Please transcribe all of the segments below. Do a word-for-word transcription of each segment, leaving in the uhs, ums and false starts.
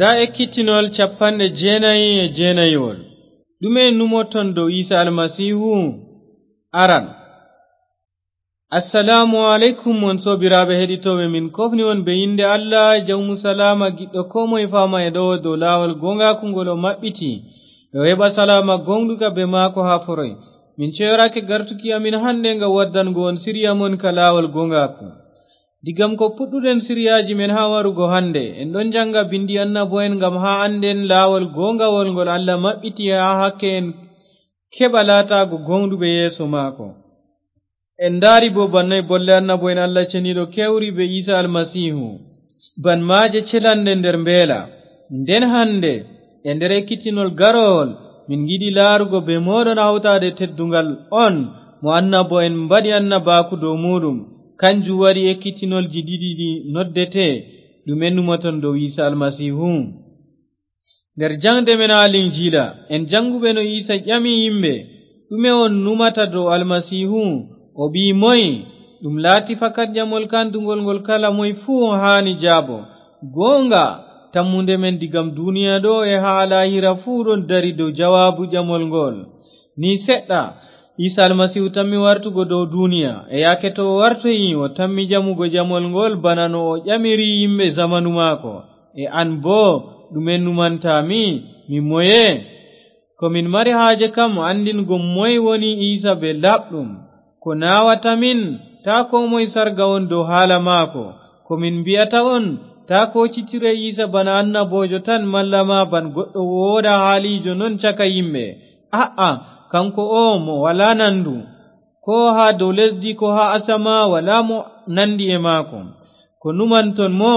Ndaa ekkitinol capanɗe jeenayi e jeenayiwol. Ɗume numoton dow Iisa Almasiihu? Aran. Assalaamu aleykum, on soobiraaɓe heɗitooɓe, min koofni on bee innde Allah, Jawmu salaama, giɗɗo koo moye faama e ɗo'o dow laawol gooŋgaaku ngol o maɓɓiti, e o heɓa salaama gooŋɗuka bee maako haa foroy. Min ceyorake gartuki amin hande ngam waddango on siriya mon ka laawol gooŋgaaku. Digam ko puɗɗuɗen siriyaaji men haa warugo hande, en ɗon jaŋga bindi annabo'en ngam haa annden laawol gooŋgawol ngol Allah maɓɓiti haa hakke en keɓa laataago gooŋɗuɓe yeeso maako. En ndaari boo bannoy bolle annabo'en Allah Ceniiɗo kewri bee Iisa Almasiihu, ban maaje celanɗe nder mbeela. Nden hande, e nder ekkitinol garowol, min ngiɗi laarugo bee mooɗon hawtaade tedduŋgal on mo annabo'en mbaɗi annabaaku dow muuɗum. Kanjum waɗi ekkitinolji ɗiɗi ɗi noddete, Ɗume numoton dow Iisa Almasiihu? Nder jaŋde men haa Linjiila, en jaŋguɓe no Iisa ƴami yimɓe, "Ɗume on numata dow Almasiihu? O ɓii moy?" Ɗum laati fakat ƴamol kandugol ngol kala moy fuu haani jaabo. Gooŋga, tammunde men digam duniya ɗo e haa laahira fuu ɗon dari dow jawaabu ƴamol ngol. Ni seɗɗa, Iisa Almasiihu tammi wartugo dow duniya, e yaake to o wartoyi, o tammi ƴamugo ƴamol ngol bana no o ƴamiri yimɓe zamanu maako. E an boo, ɗume numanta mi, mi moye? Ko min mari haaje kam anndingo moy woni Iisa bee laaɓɗum. Ko naawata min, taa koo moy sarga on dow haala maako. Ko min mbi'ata on, taa koo cittire Iisa bana annaboojo tan malla ma ban goɗɗo wooɗa haaliijo non caka yimɓe. A'a, kanko o mo walaa nandu, koo haa dow lesdi, koo haa asama, walaa mo nandi e maako. Ko numanton mo,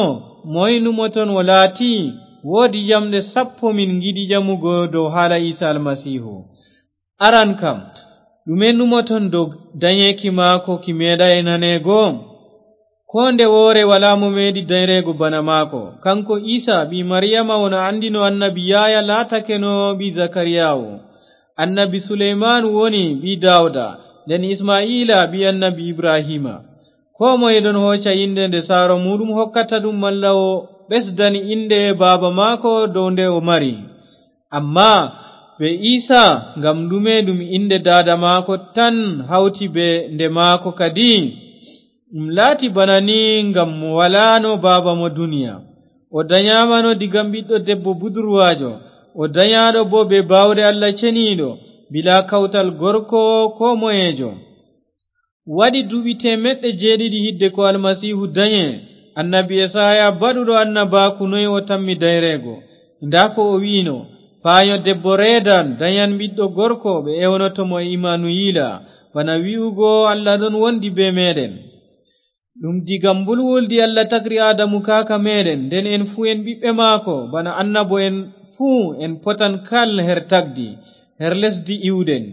moy numoton o laati? Woodi ƴamɗe sappo min ngiɗi ƴamugo dow haala Iisa Almasiihu. Aran kam, ɗume numoton dow danyeeki maako ki meeɗaay naneego? Koo nde woore walaa mo meeɗi dayreego bana maako. Kanko Iisa, ɓii Mariyama, on anndino annabi Yahaya laatakeno ɓii Zakariyaawu. Annabi Suleymaanu woni ɓii Daawuda, nden Isma'iila ɓii annabi Ibrahiima. Koo moye ɗon hooca innde nde saaro muuɗum hokkata ɗum, malla o ɓesdani innde baaba maako dow nde o mari. Ammaa bee Iisa, ngam ɗume ɗum innde daada maako tan hawti bee nde maako kadi? Ɗum laati bana ni ngam mo walaano baaba mo duniya. O danyaamano digam ɓiɗɗo debbo budurwaajo. O danyaaɗo boo bee baawɗe Allah Ceniiɗo, bilaa kawtal gorko koo moyeejo. Waɗi duuɓi teemeɗɗe jeeɗiɗi hidde ko Almasiihu danye, annabi Esaaya baɗuɗo annabaaku noy o tammi dayreego. Ndaa ko o wi'no, "Paanyo debbo reedan, danyan ɓiɗɗo gorko, ɓe ewnoto mo Imanuyiila," bana wi'ugo, "Allah ɗon wondi bee meeɗen." Ɗum diga mbulwuldi Allah tagri Aadamu kaaka meeɗen, nden en fuu en ɓiɓɓe maako, bana annabo'en fuu en potan kal her tagdi, her lesdi iwɗen.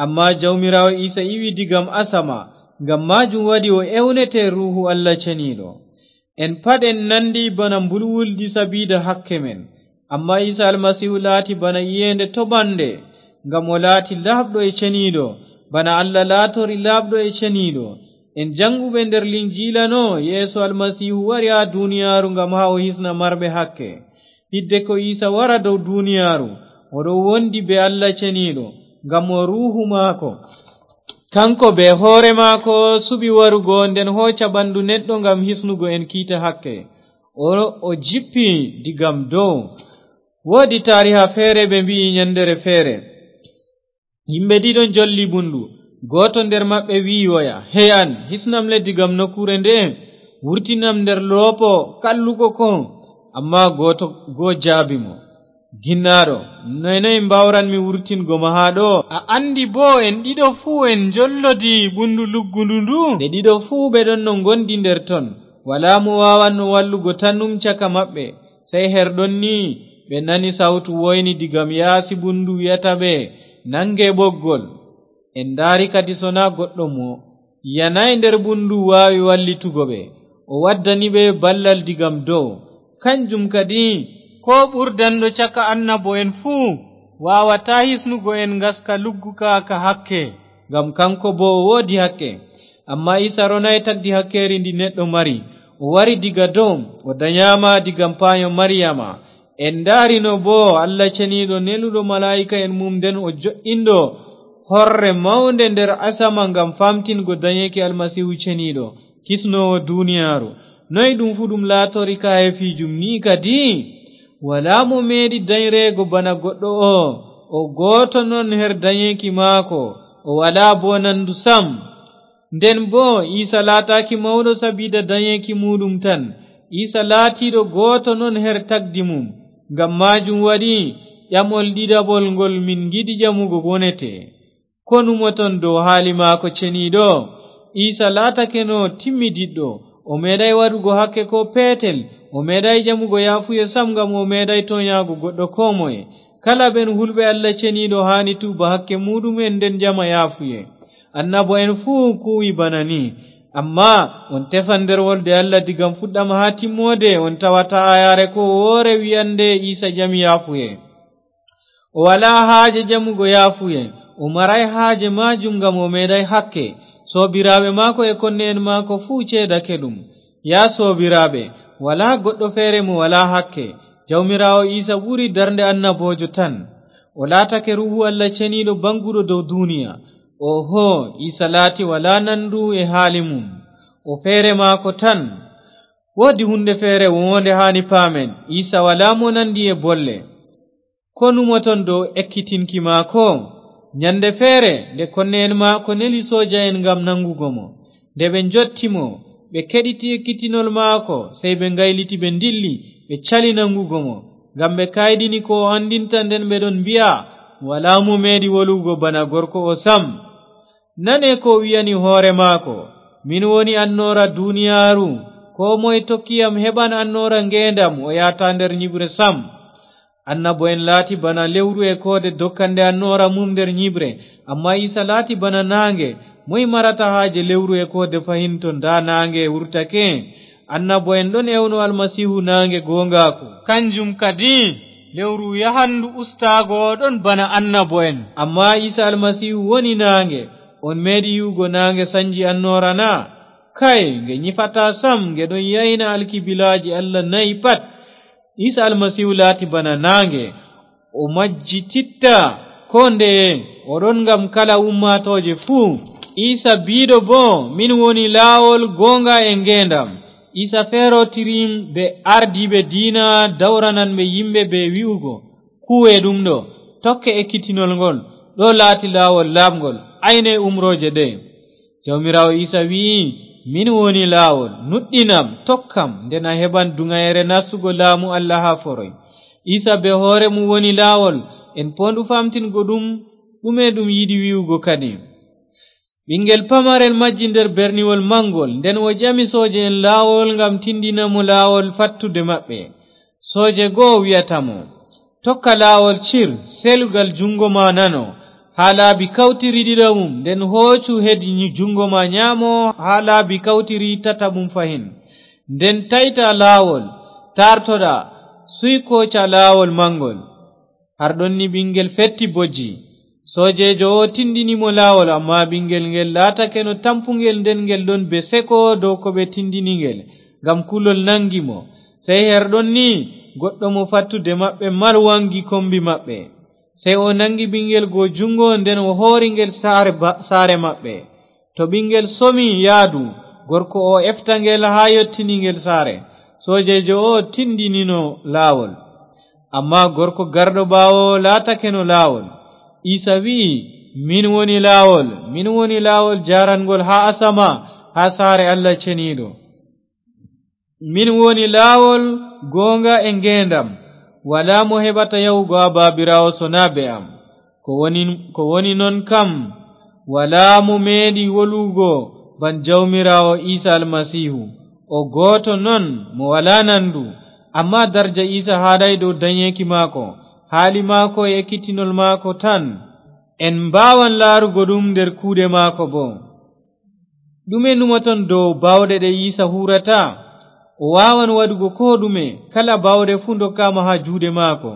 Ammaa Jawmiraawo Iisa iwi digam asama, ngam maajum waɗi o ewnete Ruuhu Allah Ceniiɗo. En pat en nandi bana mbulwuldi sabiida hakke men. Ammaa Iisa Almasiihu laati bana iyeende toɓannde, ngam o laati laaɓɗo e ceniiɗo, bana Allah laatori laaɓɗo e ceniiɗo. En jaŋguɓe nder Linjiila no, Yeesu Almasiihu wari haa duniyaaru ngam haa o hisna marɓe hakke. Hidde ko Iisa wara dow duniyaaru, o ɗon wondi bee Allah Ceniiɗo, ngam o Ruuhu maako. Kanko bee hoore maako suɓi warugo, nden hooca ɓandu neɗɗo ngam hisnugo en kiita hakke. O, o jippi digam dow. Woodi taariha feere ɓe mbi'i nyandere feere. Yimɓe ɗiɗo njolli bundu. Gooto nder maɓɓe wi'i woya, "Hey an, hisnam le digam nokkuure nde'e, wurtinam nder loopo kalluko ko." Ammaa gooto goo jaabi mo, "Ginnaaɗo, noy noy mbaawranmi wurtingo ma haa ɗo? A anndi boo en ɗiɗo fuu en njollodi bundu luggundu ndu?" Ɓe ɗiɗo fuu ɓe ɗon no ngondi nder ton. Walaa mo waawanno wallugo tanum caka maɓɓe. Sey her ɗon ni ɓe nani sawtu woyni digam yaasi bundu wi'ata ɓe, "Nange ɓoggol." En ndaari kadi so naa goɗɗo mo yanaay nder bundu waawi wallitugo ɓe. O waddani ɓe ballal digam dow. Kanjum kadi, koo ɓurdanɗo caka annabo'en fuu waawataa hisnugo en ngaska lugguka ka hakke, ngam kanko boo o woodi hakke. Ammaa Iisa ronaay tagdi hakkeeri ndi neɗɗo mari. O wari diga dow, o danyaama digam paanyo Mariyama. En ndaarino boo Allah Ceniiɗo neluɗo malaa'ika'en mum nden o jo'inɗo horre mawnde nder asama ngam faamtingo danyeeki Almasiihu Ceniiɗo, kisnoowo duuniyaaru. Noy ɗum fuu ɗum laatori kaayeefiijum nii kadi? Walaa mo meeɗi danyreego bana goɗɗo oo. O gooto non her danyeeki maako, o walaa boo nandu sam. Nden boo, Iisa laataaki mawɗo sabiida danyeeki muuɗum tan. Iisa laatiiɗo gooto non her tagdi mum. Ngam maajum waɗi ƴamol ɗiɗaɓol ngol min ngiɗi ƴamugo wonete, ko numoton dow haali maako ceniiɗo? Iisa laatakeno timmidiɗɗo. O meeɗaay waɗugo hakke koo peetel. O meeɗaay ƴamugo yaafuye sam, ngam o meeɗaay toonyaago goɗɗo koo moye. Kala ɓen hulɓe Allah Ceniiɗo haani tuuba hakke muuɗum'en nden ƴama yaafuye. Annabo'en fuu kuuwi bana nii. Ammaa on tefan nder wolde Allah diga fuɗɗam haa timmoode, on tawataa aayaare koo woore wi'annde Iisa ƴami yaafuye. O walaa haaje ƴamugo yaafuye, o maraay haaje maajum ngam o meeɗaay hakke. Soobiraaɓe maako e konne'en maako fuu ceedake ɗum. Yaa soobiraaɓe, walaa goɗɗo feere mo walaa hakke. Jawmiraawo Iisa ɓuri darnde annaboojo tan. O laatake Ruuhu Allah Ceniiɗo baŋguɗo dow duuniya. Oho, Iisa laati walaa nandu e haali mum. O feere maako tan. Woodi huunde feere woonde haani paamen. Iisa walaa mo nandi e bolle. Ko numoton dow ekkitinki maako? Nyande feere, nde konne'en maako neli sooja'en ngam naŋgugo mo, nde ɓe njotti mo, ɓe keɗiti ekkitinol maako, sey ɓe ngayliti, ɓe ndilli, ɓe cali naŋgugo mo, ngam ɓe kayɗini ko o anndinta, nden ɓe ɗon mbi'a, "Walaa mo meeɗi wolugo bana gorko oo sam." Nane ko o wi'ani hoore maako, "Min woni annoora duniyaaru. Koo moye tokki yam heɓan annoora ngeendam, o yahata nder nyiɓre sam." Annabo'en laati bana lewru e koode dokkande annoora mum nder nyiɓre, ammaa Iisa laati bana naaŋge. Moy marata haaje lewru e koode fahin to ndaa naaŋge wurtake? Annabo'en ɗon ewno Almasiihu naaŋge gooŋgaaku. Kanjum kadi, lewru yahan ndu ustaago ɗon bana annabo'en. Ammaa Iisa Almasiihu woni naaŋge. On meeɗi yi'ugo naaŋge sanji annoora na? Kay, nge nyifataa sam, nge ɗon yayna alkibilaaji Allah nayi pat. Iisa Almasiihu laati bana naaŋge, o majjititta koo ndeye, o ɗon ngam kala ummaatooje fuu. Iisa biiɗo boo, "Min woni laawol, gooŋga e ngeendam." Iisa feerotiri bee ardiiɓe diina dawrananɓe yimɓe bee wi'ugo, "Kuuwe ɗum ɗo, tokke ekkitinol ngol, ɗo laati laawol laaɓŋgol, ayne umrooje ɗe." Jawmiraawo Iisa wi'i, "Min woni laawol, nuɗɗinam, tokkam, nden a heɓan duŋayere nastugo laamu Allah haa foroy." Iisa bee hoore mum woni laawol, en poondu faamtingo ɗum, ɗume ɗum yiɗi wi'ugo kadi. Ɓiŋngel pamarel majji nder berniwol maŋngol, nden o ƴami sooje'en laawol ngam tindina mo laawol fattude maɓɓe. Sooje go wi'ata mo, "Tokka laawol cir, selugal juŋngo ma nano, haa laabi kawtiri ɗiɗaɓum, nden hoocu hedi nyi-, juŋngo ma nyaamo haa laabi kawtiri tataɓum fahin. Nden tayta laawol, taartoɗa, suy kooca laawol maŋngol." Har ɗon ni ɓiŋngel fetti bojji. Soojeejo o tindini mo laawol, ammaa ɓiŋngel ngel laatakeno tampuŋgel, nden ngel ɗon bee seko dow ko ɓe tindini ngel, ngam kulol naŋgi mo. Sey her ɗon ni, goɗɗo mo fattude maɓɓe mal waŋgi kommbi maɓɓe. Sey o naŋgi ɓiŋngel go juŋngo, nden o hoori ngel saare ba-, saare maɓɓe. To ɓiŋngel somi yaadu, gorko o efta ngel haa yottini ngel saare. Soojeejo o tindinino laawol. Ammaa gorko garɗo ɓaawo laatakeno laawol. Iisa wi'i, "Min woni laawol, min woni laawol jaaranŋgol haa asama, haa saare Allah Ceniiɗo. Min woni laawol, gooŋga e ngeendam. Walaa mo heɓata yahugo haa Baabiraawo sonaa bee am. Ko woni, ko woni non kam, walaa mo meeɗi wolugo ban Jawmiraawo Iisa Almasiihu. O gooto non mo walaa nandu." Ammaa darja Iisa haaɗaay dow danyeeki maako, haali maako e ekkitinol maako tan. En mbaawan laarugo ɗum nder kuuɗe maako boo. Ɗume numoton dow baawɗe ɗe Iisa huuwrata? O waawan waɗugo koo ɗume, kala baawɗe fuu ndokkaama haa juuɗe maako.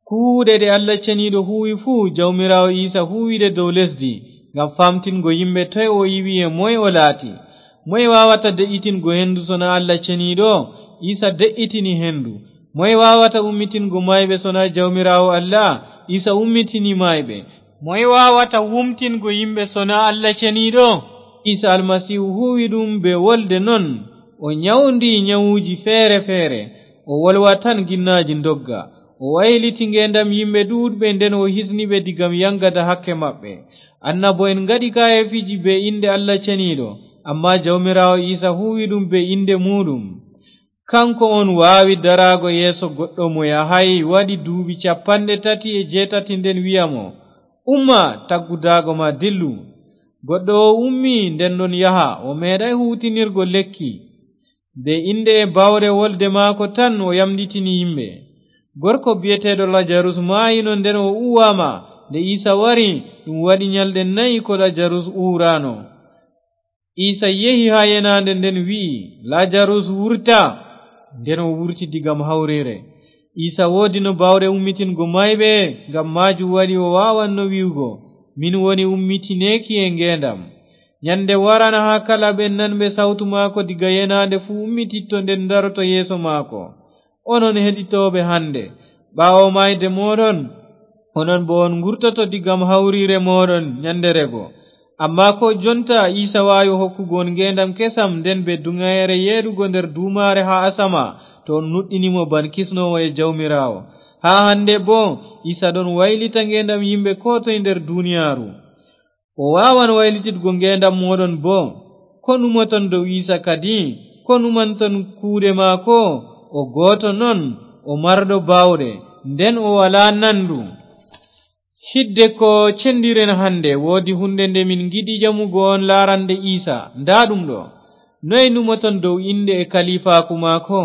Kuuɗe ɗe Allah Ceniiɗo huuwi fuu, Jawmiraawo Iisa huuwi ɗe dow lesdi, ngam faamtingo yimɓe toy o iwi e moy o laati. Moy waawata de'itingo hendu sonaa Allah Ceniiɗo? Iisa de'itini hendu. Moy waawata ummitingo maayɓe sonaa Jawmiraawo Allah? Iisa ummitini maayɓe. Moy waawata wumtingo yimɓe sonaa Allah Ceniiɗo? Iisa Almasiihu huuwi ɗum bee wolde non. O nyawndi nyawuuji feere feere. O wolwa tan ginnaaji ndogga. O wayliti ngeendam yimɓe ɗuuɗɓe, nden o hisni ɓe digam yaŋgada hakke maɓɓe. Annabo'en ngaɗi kaayeefiiji bee innde Allah Ceniiɗo, ammaa Jawmiraawo Iisa huuwi ɗum bee innde muuɗum. Kaŋko on waawi daraago yeeso goɗɗo mo yahaay waɗi duuɓi cappanɗe tati e jeetati, nden wi'a mo, "Umma, taggu daago ma, dillu." Goɗɗo o ummi, nden ɗon yaha, o meeɗaay huuwtinirgo lekki. Bee innde e baawɗe wolde maako tan o yamɗitini yimɓe. Gorko bi'eteeɗo Lajarus maayino, nden o uwaama. Nde Iisa wari, ɗum waɗi nyalɗe nayi ko Lajarus uuraano. Iisa yehi haa yenaande nden, wi'i, "Lajarus, wurta!" Nden o wurti digam hawriire. Iisa woodino baawɗe ummitingo maayɓe, ngam maajum waɗi o waawanno wi'ugo, "Min woni ummitineeki e ngeendam." Nyande waran haa kala ɓe nanɓe sawtu maako diga yenaande fuu ummititto, nden daroto yeeso maako. Onon heɗitooɓe hande, ɓaawo maayde mooɗon, onon boo on ngurtoto digam hawriire mooɗon nyande rego. Ammaa koo jonta, Iisa waawi hokkugo on ngeendam kesam, nden bee duŋayeere yeeɗugo nder duumaare haa asama, to on nuɗɗini mo ban kisnoowo e Jawmiraawo. Haa hande boo, Iisa ɗon waylita ngeendam yimɓe koo toy nder duniyaaru. O waawan waylititgo ngeendam mooɗon boo. Ko numoton dow Iisa kadi? Ko numanton kuuɗe maako? O gooto non, o marɗo baawɗe, nden o walaa nandu. Hidde ko cendiren hande, woodi hunde nde min ngiɗi ƴamugo on laarande Iisa. Ndaa ɗum ɗo. Noy numoton dow innde e kaliifaaku maako?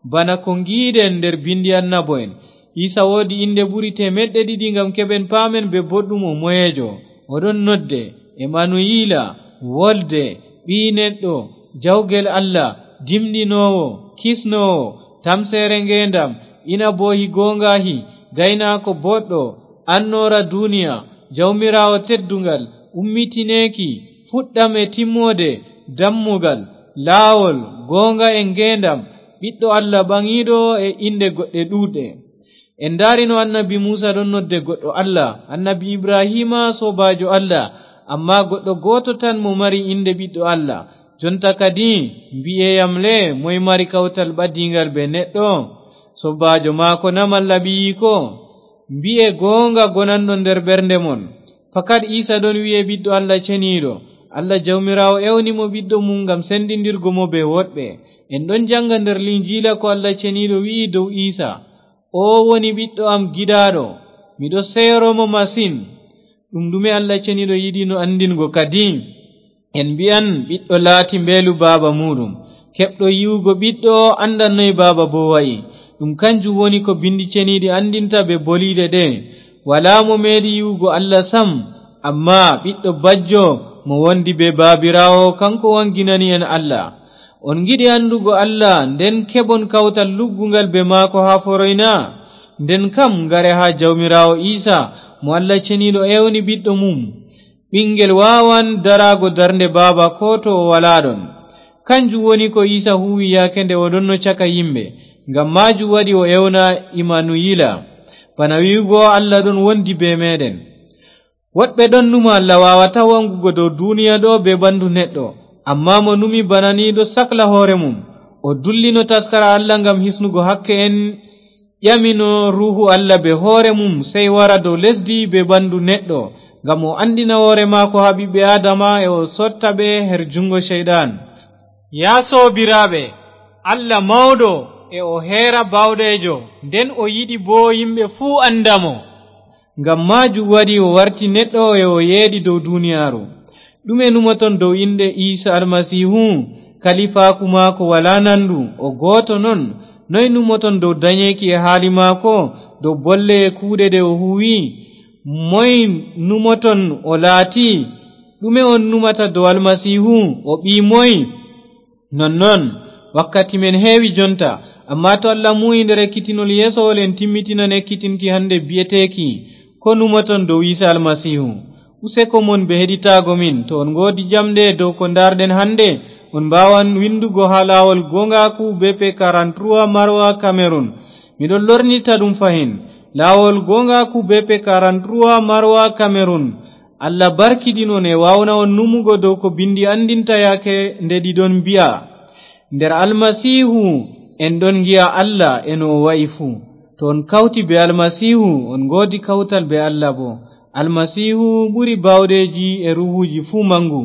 Bana ko ngiiɗen nder bindi annabo'en, Iisa woodi innde ɓuri teemeɗɗe ɗiɗi ngam keɓen paamen bee boɗɗum o moyeejo. O ɗon nodde Emanuyiila, wolde, ɓii neɗɗo, jawgel Allah, dimɗinoowo, kisnoowo, tamseere ngeendam, inaboohi gooŋgaahi, gaynaako boɗɗo, annoora duniya, Jawmiraawo tedduŋgal, ummitineeki, fuɗɗam e timmoode, dammugal, laawol, gooŋga e ngeendam, ɓiɗɗo Allah ɓaŋiiɗo e inɗe goɗɗe ɗuuɗɗe. En ndaari no annabi Muusa ɗon nodde goɗɗo Allah, annabi Ibrahiima soobaajo Allah, ammaa goɗɗo gooto tan mo mari innde ɓiɗɗo Allah. Jonta kadi, mbi'e yam le, moy mari kawtal ɓadiiŋgal bee neɗɗo? Soobaajo maako na malla ɓiyiiko? Mbi'e gooŋga gonanɗo nder ɓernde mon. Fakat Iisa ɗon wi'e Ɓiɗɗo Allah Ceniiɗo. Allah Jawmiraawo ewni mo Ɓiɗɗo mum ngam sendindirgo mo bee woɗɓe. En ɗon jaŋga nder Linjiila ko Allah Ceniiɗo wi'i dow Iisa, "Oo woni Ɓiɗɗo am giɗaaɗo, miɗo seyoro mo masin." Ɗum ɗume Allah Ceniiɗo yiɗino anndingo kadi? En mbi'an Ɓiɗɗo laati mbeelu baaba muuɗum. Keɓɗo yi'ugo Ɓiɗɗo anndan noy baaba boo wa'i. Ɗum kanjum woni ko Bindi Ceniiɗi anndinta bee boliiɗe ɗe, "Walaa mo meeɗi yi'ugo Allah sam, ammaa Ɓiɗɗo bajjo mo wondi bee Baabiraawo, kaŋko waŋginani en Allah." On ngiɗi anndugo Allah, nden keɓon kawtal lugguŋgal bee maako haa foroy na? Nden kam, ngare haa Jawmiraawo Iisa, mo Allah Ceniiɗo ewni Ɓiɗɗo mum. Ɓiŋngel waawan daraago darnde baaba koo to o walaa ɗon. Kanjum woni ko Iisa huuwi yaake nde o ɗonno caka yimɓe. Ngam maajum waɗi o ewna Imanuyiila, bana wi'ugo, "Allah ɗon wondi bee meeɗen." Woɗɓe ɗon numa Allah waawataa waŋgugo dow duniya ɗo bee ɓandu neɗɗo, ammaa mo numi bana ni ɗo sakla hoore mum. O dullino taskara Allah ngam hisnugo hakke en, ƴamino Ruuhu Allah bee hoore mum, sey wara dow lesdi bee ɓandu neɗɗo, ngam o anndina hoore maako haa ɓiɓɓe Aadama e o sotta ɓe her juŋngo Ceyɗan. Yaa soobiraaɓe, Allah mawɗo e o heera baawɗeejo, nden o yiɗi boo yimɓe fuu annda mo. Ngam maajum waɗi o warti neɗɗo e o yeeɗi dow duniyaaru. Ɗume numoton dow innde Iisa Almasiihu? Kaliifaaku maako walaa nandu, o gooto non. Noy numoton dow danyeeki e haali maako, dow bolle e kuuɗe ɗe o huuwi? Moy numoton o laati? Ɗume on numata dow Almasiihu? O ɓii moy? Nonnon, wakkati men heewi jonta, ammaa to Allah muuyi nder ekkitinol yeesowol, en timmitinan ekkitinki hande bi'eteeki, ko numoton dow Iisa Almasiihu. Useko mon bee heɗitaago min. To on ngoodi ƴamɗe dow ko ndaarɗen hande, on mbaawan windugo haa laawol gooŋgaaku, B P quarante-trois, Maroua, Cameroun. Miɗon lornita ɗum fahin. Laawol goongaaku B P quarante-trois Marwa Cameroun. Allah barkiɗin on e waawna on numugo dow ko binndi anndinta yaake nde ɗi ɗon mbi'a. Nder Almasiihu en ɗon ngi'a Allah e no o wa'i fuu. To on kawti be Almasiihu, on ngoodi kawtal be Allah boo. Almasiihu ɓuri baawɗeeji e ruuhuuji fuu manngu.